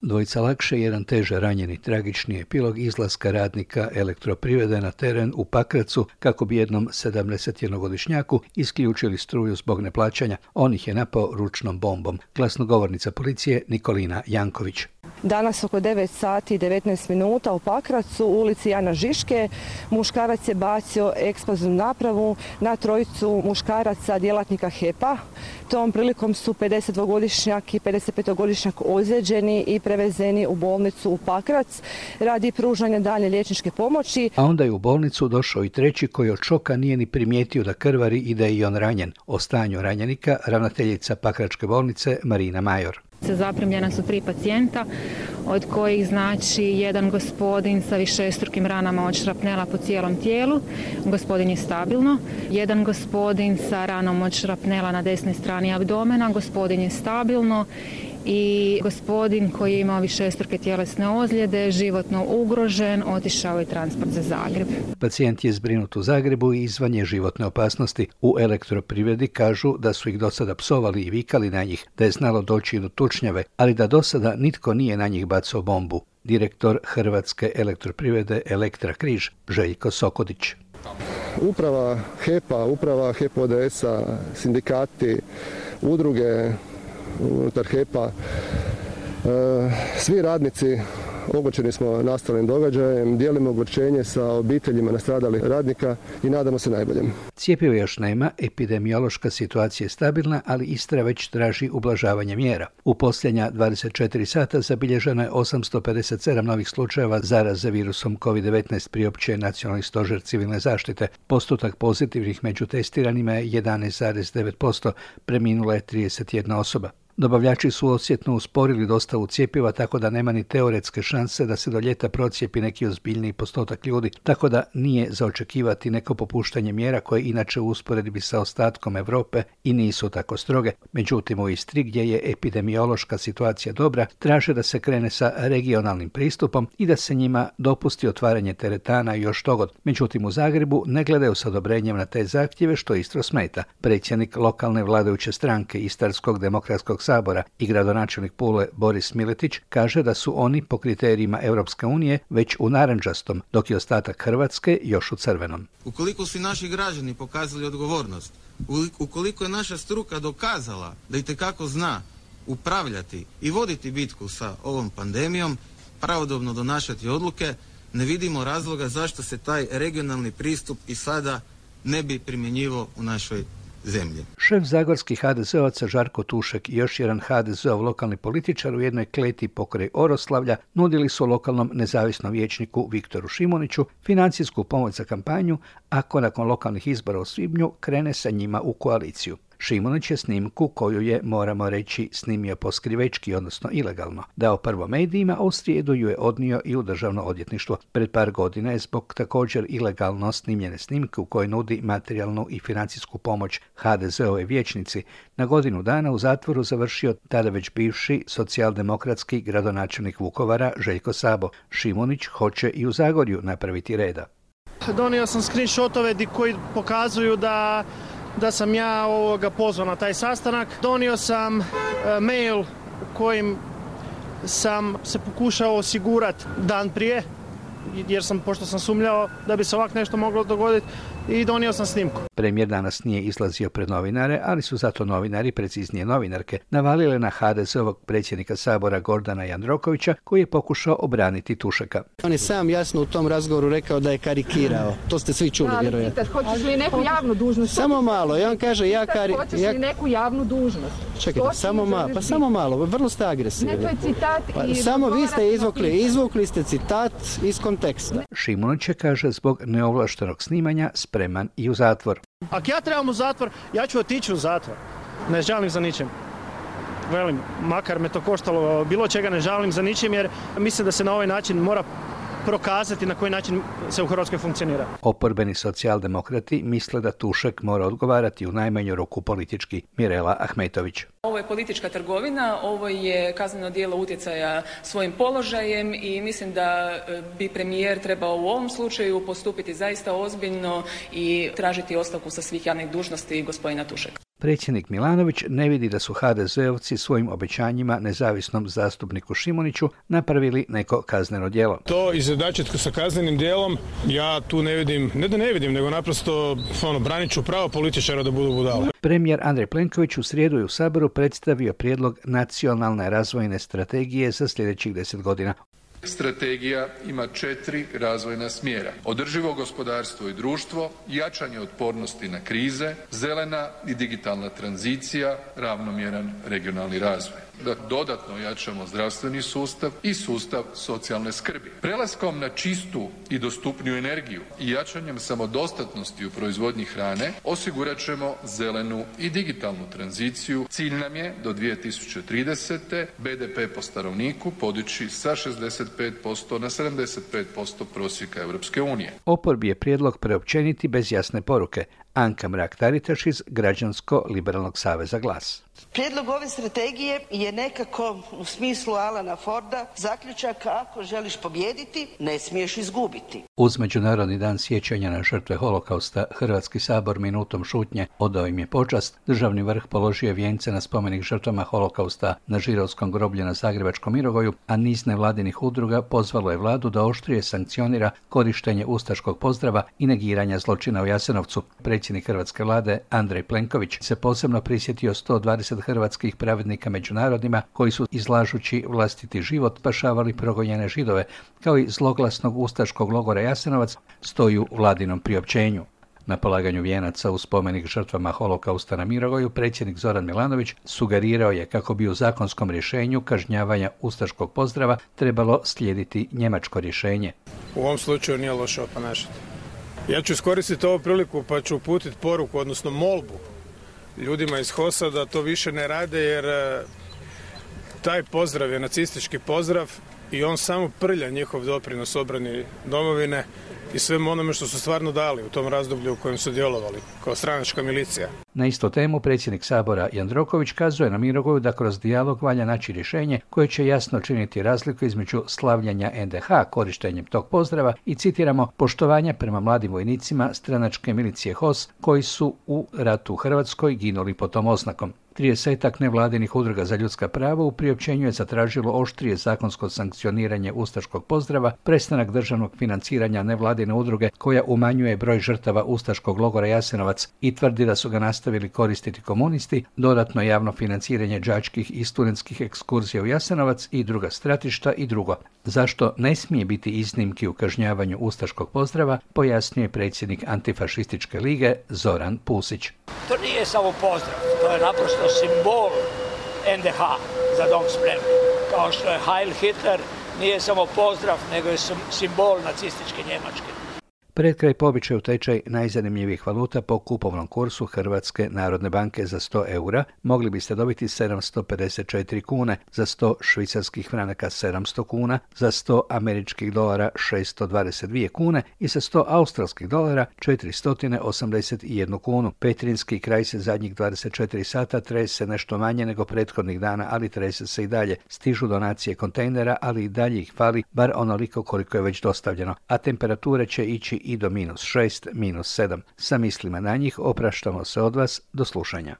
Dvojica lakše, jedan teže ranjeni. Tragični epilog izlaska radnika Elektroprivrede na teren u Pakracu kako bi jednom 71-godišnjaku isključili struju zbog neplaćanja. On ih je napao ručnom bombom. Glasnogovornica policije Nikolina Janković. Danas oko 9 sati i 19 minuta u Pakracu, u ulici Jana Žiške, muškarac je bacio eksplozivnu napravu na trojicu muškaraca djelatnika HEP-a. Tom prilikom su 52-godišnjak i 55-godišnjak ozlijeđeni i prevezeni u bolnicu u Pakrac radi pružanja daljnje liječničke pomoći. A onda je u bolnicu došao i treći koji od šoka nije ni primijetio da krvari i da je i on ranjen. O stanju ranjenika ravnateljica Pakračke bolnice Marina Major. Zaprimljena su 3 pacijenta, od kojih znači jedan gospodin sa višestrukim ranama od šrapnela po cijelom tijelu, gospodin je stabilno, jedan gospodin sa ranom od šrapnela na desnoj strani abdomena, gospodin je stabilno i gospodin koji je imao višestruke tjelesne ozljede, životno ugrožen, otišao je transport za Zagreb. Pacijent je zbrinut u Zagrebu i izvan je životne opasnosti. U Elektroprivredi kažu da su ih do sada psovali i vikali na njih, da je znalo doći do tučnjave, ali da do sada nitko nije na njih bacao bombu. Direktor Hrvatske Elektroprivrede Elektra Križ Željko Sokodić. Uprava HEP-a, uprava HEP ODS-a, sindikati, udruge unutar HEP-a, svi radnici ogorčeni smo nastalim događajem, dijelimo ogorčenje sa obiteljima nastradalih radnika i nadamo se najboljem. Cjepiva još nema, epidemiološka situacija je stabilna, ali Istra već traži ublažavanje mjera. U posljednja 24 sata zabilježeno je 857 novih slučajeva zaraze virusom COVID-19, priopćuje Nacionalni stožer civilne zaštite. Postotak pozitivnih među testiranima je 11,9%, preminula je 31 osoba. Dobavljači su osjetno usporili dostavu cjepiva, tako da nema ni teoretske šanse da se do ljeta procijepi neki ozbiljniji postotak ljudi, tako da nije za očekivati neko popuštanje mjera koje inače u usporedbi sa ostatkom Europe i nisu tako stroge. Međutim, u Istri, gdje je epidemiološka situacija dobra, traže da se krene sa regionalnim pristupom i da se njima dopusti otvaranje teretana i još togod. Međutim, u Zagrebu ne gledaju s odobrenjem na te zahtjeve, što Istru smeta. Predsjednik lokalne vladajuće stranke Istarskog demokratskog sabora i gradonačelnik Pule Boris Miletić kaže da su oni po kriterijima Europske unije već u narančastom, dok je ostatak Hrvatske još u crvenom. Ukoliko su naši građani pokazali odgovornost, ukoliko je naša struka dokazala da itekako zna upravljati i voditi bitku sa ovom pandemijom, pravodobno donašati odluke, ne vidimo razloga zašto se taj regionalni pristup i sada ne bi primjenjivao u našoj zemlje. Šef zagorskih HDZ-ovaca Žarko Tušek i još jedan HDZ-ov lokalni političar u jednoj kleti pokraj Oroslavlja nudili su lokalnom nezavisnom vijećniku Viktoru Šimuniću financijsku pomoć za kampanju ako nakon lokalnih izbora u svibnju krene sa njima u koaliciju. Šimunić je snimku koju je, moramo reći, snimio poskrivečki, odnosno ilegalno, dao prvo medijima, a u srijedu ju je odnio i u državno odvjetništvo. Pred par godina je zbog također ilegalno snimljene snimke u kojoj nudi materijalnu i financijsku pomoć HDZ-ove vijećnici na godinu dana u zatvoru završio tada već bivši socijaldemokratski gradonačelnik Vukovara Željko Sabo. Šimunić hoće i u Zagorju napraviti reda. Donio sam screenshotove koji pokazuju da sam ja pozvan na taj sastanak. Donio sam mail kojim sam se pokušao osigurati dan prije, pošto sam sumnjao da bi se ovako nešto moglo dogoditi, i donio sam snimku. Premijer danas nije izlazio pred novinare, ali su zato novinari, preciznije novinarke, navalile na HDZ-ovog predsjednika Sabora Gordana Jandrokovića, koji je pokušao obraniti Tušeka. On je sam jasno u tom razgovoru rekao da je karikirao. To ste svi čuli, vjerojatno. Hoćeš li neku javnu dužnost? Samo malo. I on kaže Hoćeš li neku javnu dužnost? Čekajte, samo malo. Vrlo ste agresivni. Ne, to je citat. Samo vi ste izvukli ste citat iz konteksta. Šimunić je, kaže, zbog neovlaštenog snimanja spreman i u zatvor. Ako ja trebam u zatvor, ja ću otići u zatvor. Ne žalim za ničim. Velim, makar me to koštalo bilo čega, ne žalim za ničim, jer mislim da se na ovaj način mora prokazati na koji način se u Hrvatskoj funkcionira. Oporbeni socijaldemokrati misle da Tušek mora odgovarati u najmanju ruku politički. Mirela Ahmetović. Ovo je politička trgovina, ovo je kazneno djelo utjecaja svojim položajem i mislim da bi premijer trebao u ovom slučaju postupiti zaista ozbiljno i tražiti ostavku sa svih javnih dužnosti gospodina Tušeka. Predsjednik Milanović ne vidi da su HDZ-ovci svojim obećanjima nezavisnom zastupniku Šimuniću napravili neko kazneno djelo. To izjednačiti sa kaznenim djelom, ja tu ne vidim, ne da ne vidim, nego naprosto branit ću pravo političara da budu budale. Premijer Andrej Plenković u srijedu je u Saboru predstavio prijedlog nacionalne razvojne strategije za sljedećih 10 godina. Strategija ima 4 razvojna smjera: održivo gospodarstvo i društvo, jačanje otpornosti na krize, zelena i digitalna tranzicija, ravnomjeran regionalni razvoj. Da dodatno jačamo zdravstveni sustav i sustav socijalne skrbi. Prelaskom na čistu i dostupniju energiju i jačanjem samodostatnosti u proizvodnji hrane osigurat ćemo zelenu i digitalnu tranziciju. Cilj nam je do 2030. BDP po stanovniku podići sa 65% na 75% prosjeka Europske unije. Oporbi je prijedlog preopćeniti bez jasne poruke. Anka Mrak-Taritaš iz Građansko-liberalnog saveza Glas. Prijedlog ove strategije je nekako u smislu Alana Forda zaključak: ako želiš pobijediti, ne smiješ izgubiti. Uz Međunarodni dan sjećanja na žrtve holokausta, Hrvatski sabor minutom šutnje odao im je počast. Državni vrh položio vijence na spomenik žrtvama holokausta na Žirovskom groblju na Zagrebačkom Mirogoju, a niz nevladinih udruga pozvalo je vladu da oštrije sankcionira korištenje ustaškog pozdrava i negiranja zločina u Jasenovcu. Predsjednik hrvatske vlade Andrej Plenković se posebno prisjetio 120 hrvatskih pravednika među narodima koji su, izlažući vlastiti život, spašavali progonjene Židove, kao i zloglasnog ustaškog logora Jasenovac, stoji u vladinom priopćenju. Na polaganju vijenaca u spomenik žrtvama holokausta na Mirogoju predsjednik Zoran Milanović sugerirao je kako bi u zakonskom rješenju kažnjavanja ustaškog pozdrava trebalo slijediti njemačko rješenje. U ovom slučaju nije loše oponašati. Ja ću iskoristiti ovu priliku pa ću uputiti poruku, odnosno molbu ljudima iz HOS-a da to više ne rade, jer taj pozdrav je nacistički pozdrav i on samo prlja njihov doprinos obrani domovine i svemu onome što su stvarno dali u tom razdoblju u kojem su djelovali kao stranačka milicija. Na istu temu predsjednik Sabora Jandroković kazuje na Mirogoju da kroz dijalog valja naći rješenje koje će jasno činiti razliku između slavljanja NDH korištenjem tog pozdrava i, citiramo, poštovanja prema mladim vojnicima stranačke milicije HOS koji su u ratu u Hrvatskoj ginuli pod tom oznakom. 30-ak nevladinih udruga za ljudska prava u priopćenju je zatražilo oštrije zakonsko sankcioniranje ustaškog pozdrava, prestanak državnog financiranja nevladine udruge koja umanjuje broj žrtava ustaškog logora Jasenovac i tvrdi da su ga nastavili koristiti komunisti, dodatno javno financiranje đačkih i studentskih ekskurzija u Jasenovac i druga stratišta i drugo. Zašto ne smije biti iznimki u kažnjavanju ustaškog pozdrava, pojasnjuje predsjednik Antifašističke lige Zoran Pusić. To nije samo pozdrav, to je naprosto simbol NDH za dom spremni. Kao što je Heil Hitler nije samo pozdrav, nego je simbol nacističke Njemačke. Pred kraj po običaju tečaj najzanimljivijih valuta po kupovnom kursu Hrvatske narodne banke. Za 100 eura mogli biste dobiti 754 kune, za 100 švicarskih franaka 700 kuna, za 100 američkih dolara 622 kune i za 100 australskih dolara 481 kunu. Petrinjski kraj se zadnjih 24 sata trese nešto manje nego prethodnih dana, ali trese se i dalje. Stižu donacije kontejnera, ali i dalje ih fali, bar onoliko koliko je već dostavljeno, a temperature će ići i do -6, -7. Sa mislima na njih opraštamo se od vas, do slušanja.